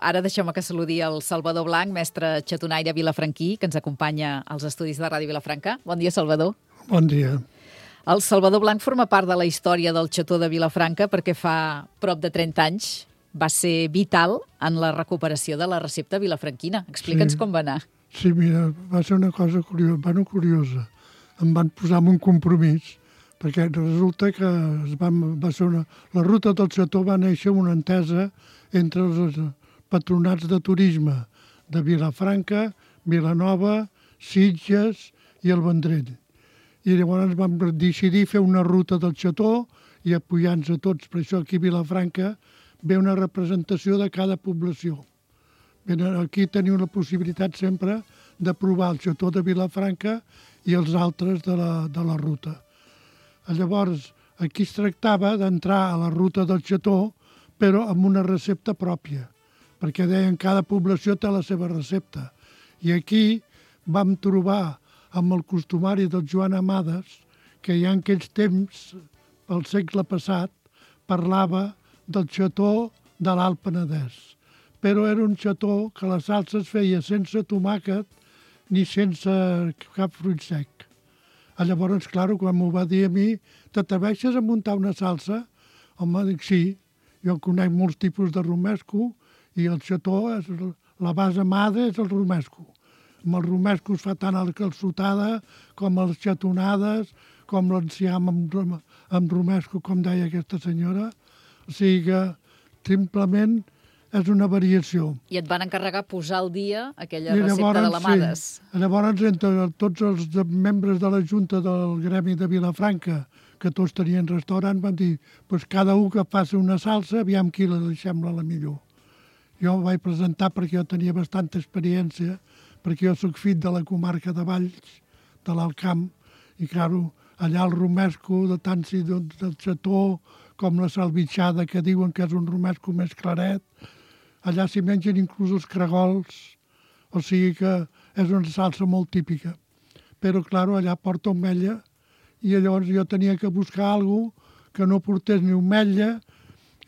Ara deixeu-me que saludi el Salvador Blanc, mestre xatonaire vilafranquí, que ens acompanya als estudis de Ràdio Vilafranca. Bon dia, Salvador. Bon dia. El Salvador Blanc forma part de la història del xató de Vilafranca perquè fa prop de 30 anys va ser vital en la recuperació de la recepta vilafranquina. Explica'ns com va anar. Sí, mira, va ser una cosa curiosa. Em van posar en un compromís, perquè resulta que la ruta del xató va néixer una entesa entre els patronats de turisme de Vilafranca, Vilanova, Sitges i el Vendrell. I llavors vam decidir fer una ruta del xató i apoyar-nos a tots. Per això aquí a Vilafranca ve una representació de cada població. Aquí teniu la possibilitat sempre de provar el xató de Vilafranca i els altres de la ruta. Llavors, aquí es tractava d'entrar a la ruta del xató, però amb una recepta pròpia, perquè deien que cada població té la seva recepta. I aquí vam trobar amb el costumari del Joan Amades, que ja en aquells temps, pel segle passat, parlava del xató de l'Alt Penedès. Però era un xató que la salsa es feia sense tomàquet ni sense cap fruit sec. Llavors, clar, quan m'ho va dir a mi, t'atreveixes a muntar una salsa? Home, dic, sí, jo conec molts tipus de romesco i el xató, la base madre és el romesco. Amb el romesco es fa tant la calçotada com les xatonades, com l'enciam amb romesco, com deia aquesta senyora. O sigui que simplement és una variació. I et van encarregar posar al dia aquella recepta de l'Amades. Sí. Llavors, entre tots els membres de la Junta del Gremi de Vilafranca, que tots tenien restaurant, van dir pues cada un que faci una salsa, aviam qui la sembla la millor. Jo em vaig presentar perquè jo tenia bastanta experiència, perquè jo soc fill de la comarca de Valls, de l'Alt Camp, i claro, allà el romesco de tant si del xató com la salvitxada, que diuen que és un romesco més claret, allà s'hi mengen inclús els caragols, o sigui que és una salsa molt típica. Però, clar, allà porta ametlla, i llavors jo tenia que buscar alguna cosa que no portés ni ametlla,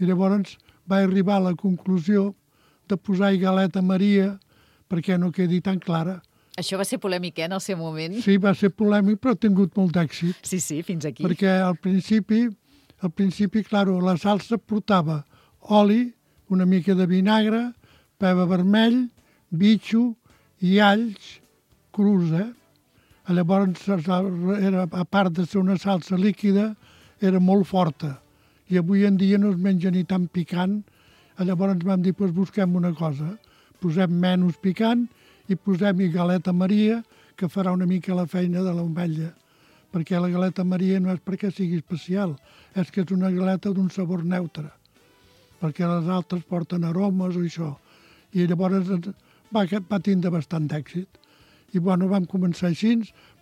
i llavors vaig arribar a la conclusió de posar-hi galeta Maria perquè no quedi tan clara. Això va ser polèmic, en el seu moment? Sí, va ser polèmic, però ha tingut molt d'èxit. Sí, fins aquí. Perquè al principi, clar, la salsa portava oli, una mica de vinagre, pebre vermell, bitxo i alls crus, Llavors, a part de ser una salsa líquida, era molt forta. I avui en dia no es menja ni tan picant. Llavors vam dir, doncs busquem una cosa. Posem menys picant i posem-hi galeta Maria, que farà una mica la feina de l'ametlla. Perquè la galeta Maria no és perquè sigui especial, és que és una galeta d'un sabor neutre. Perquè les altres porten aromes o això. I llavors va tindre bastant d'èxit. I bueno, vam començar així,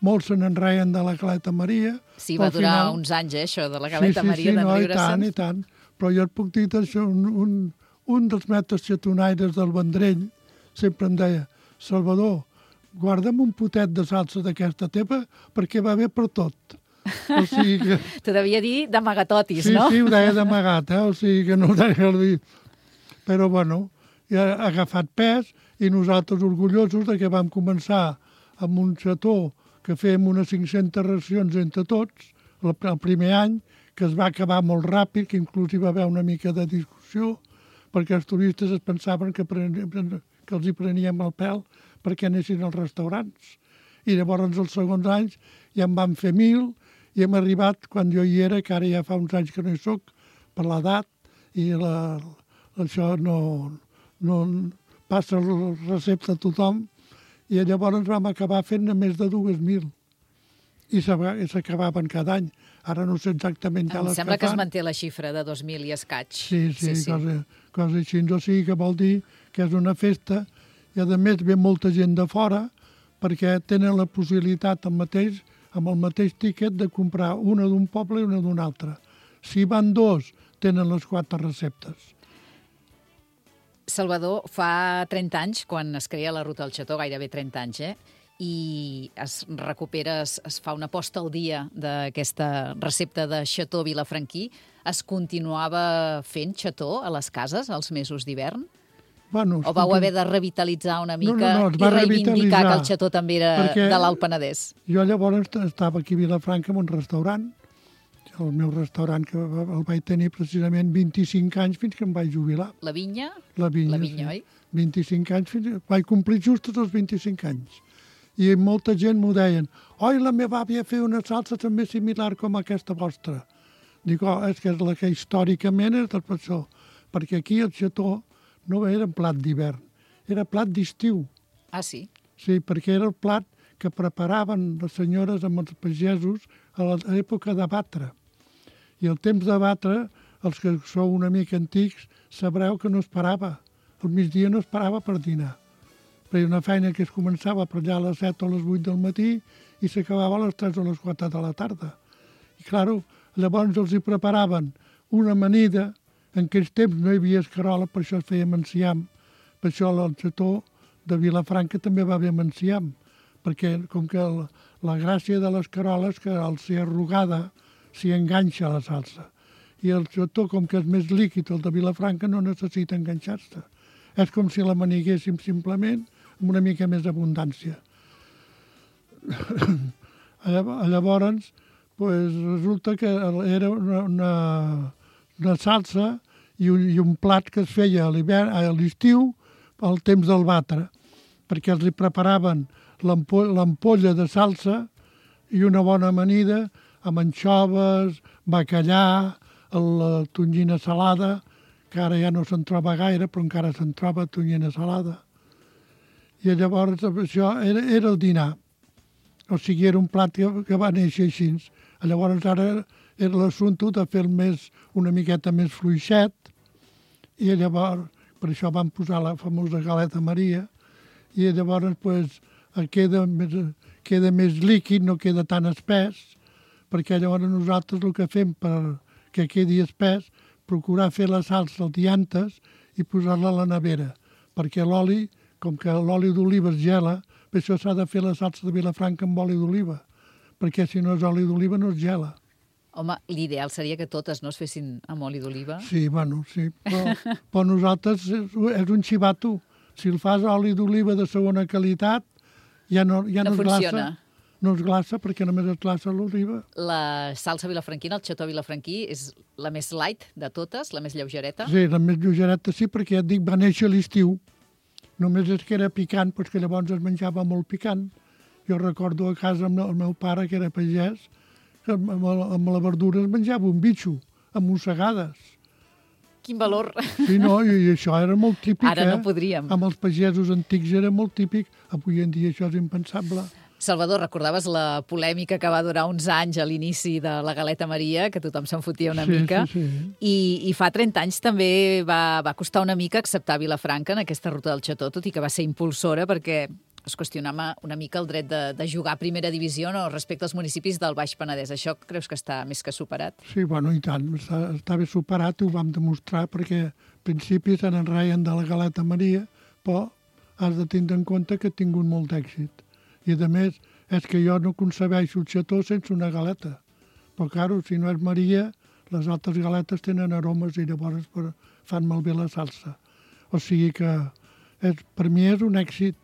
molts se n'enreien de la galeta Maria. Sí, va durar uns anys, això, de la galeta Maria, d'enriure-se'n. I tant. Però jo et puc dir això, un dels mestres xatonaires del Vendrell sempre em deia, Salvador, guarda'm un potet de salsa d'aquesta teva perquè va bé per tot. O sigui que... T'ho devia dir d'amagatotis, no? Sí, ho deia d'amagat, o sigui que no ho deia dir. Però, bueno, ja ha agafat pes i nosaltres orgullosos de que vam començar amb un xató que fèiem unes 500 racions entre tots, el primer any, que es va acabar molt ràpid, que inclús hi va haver una mica de discussió, perquè els turistes es pensaven que els hi preníem el pèl perquè anessin als restaurants. I llavors els segons anys ja en vam fer 1.000 i hem arribat, quan jo hi era, que ara ja fa uns anys que no hi soc, per l'edat, i això no passa la recepta a tothom, i llavors vam acabar fent més de 2.000. I s'acabaven cada any. Ara no sé exactament ja les que fan. Em sembla que es manté la xifra de 2.000 i escaig. Sí. Cosa així. O sigui que vol dir que és una festa i, a més, ve molta gent de fora perquè tenen la possibilitat amb el mateix tiquet de comprar una d'un poble i una d'un altre. Si van dos, tenen les 4 receptes. Salvador, fa 30 anys, quan es crea la Ruta del Xató, gairebé 30 anys, i es recupera, es fa una posta al dia d'aquesta recepta de xató vilafranquí, es continuava fent xató a les cases els mesos d'hivern? Bueno, o vau haver de revitalitzar una mica es i va reivindicar que el revitalitzar, xató també era perquè de l'Alt Penedès? Jo llavors estava aquí a Vilafranca en un restaurant, el meu restaurant, que el vaig tenir precisament 25 anys fins que em vaig jubilar. La vinya? La vinya, sí. Oi? 25 anys, vaig complir just els 25 anys. I molta gent m'ho deien, oi, la meva àvia feia una salsa també similar com aquesta vostra. Dic, és que és la que històricament és per això, perquè aquí el xató no era un plat d'hivern, era plat d'estiu. Ah, sí? Sí, perquè era el plat que preparaven les senyores amb els pagesos a l'època de batre. I el temps de batre, els que sou una mica antics, sabreu que no es parava. Al migdia no es parava per dinar. Feia una feina que es començava per allà a les 7 o les 8 del matí i s'acabava a les 3 o les 4 de la tarda. I, clar, llavors els hi preparaven una amanida. En aquells temps no hi havia escarola, per això es feia amb enciam. Per això el xató de Vilafranca també va bé amb enciam, perquè com que la gràcia de l'escarola és que al ser arrugada s'hi enganxa la salsa. I el xató, com que és més líquid, el de Vilafranca, no necessita enganxar-se. És com si la maniguéssim simplement amb una mica més abundància. Llavors, resulta que era una salsa i un plat que es feia a l'estiu al temps del batre, perquè els hi preparaven l'ampolla de salsa i una bona amanida amb anxoves, bacallà, la tonyina salada, que ara ja no se'n troba gaire, però encara se'n troba tonyina salada. I llavors això era el dinar. O sigui, era un plat que va néixer així. Llavors ara era l'assumpte de fer una miqueta més fluixet, i llavors per això van posar la famosa galeta Maria, i llavors queda més líquid, no queda tan espès, perquè llavors nosaltres el que fem perquè quedi espès, procurar fer la salsa al dia antes i posar-la a la nevera, perquè l'oli, com que l'oli d'oliva es gela, per això s'ha de fer la salsa de Vilafranca amb oli d'oliva, perquè si no és oli d'oliva no es gela. Home, l'ideal seria que totes no es fessin amb oli d'oliva. Sí, bueno, sí, però nosaltres és un xivato. Si el fas oli d'oliva de segona qualitat, ja no es glaça. No es glaça perquè només es glaça l'oliva. La salsa vilafranquina, el xató vilafranquí, és la més light de totes, la més lleugereta? Sí, la més lleugereta sí, perquè ja et dic, va néixer a l'estiu. Només és que era picant, doncs que llavors es menjava molt picant. Jo recordo a casa amb el meu pare, que era pagès, que amb la verdura es menjava un bitxo, amb mossegades. Quin valor! Sí, no, i això era molt típic. Ara no podríem. Amb els pagesos antics era molt típic. Avui en dia això és impensable. Salvador, recordaves la polèmica que va durar uns anys a l'inici de la galeta Maria, que tothom se'n fotia una mica. Sí. I fa 30 anys també va costar una mica acceptar Vilafranca en aquesta ruta del xató, tot i que va ser impulsora perquè es qüestionava una mica el dret de jugar a primera divisió respecte als municipis del Baix Penedès. Això creus que està més que superat? Sí, bueno, i tant. Està bé superat i ho vam demostrar perquè al principi se n'enreien de la galeta Maria, però has de tindre en compte que ha tingut molt d'èxit. I, a més, és que jo no concebeixo el xató sense una galeta. Però, clar, si no és Maria, les altres galetes tenen aromes i llavors fan malbé la salsa. O sigui que per mi és un èxit.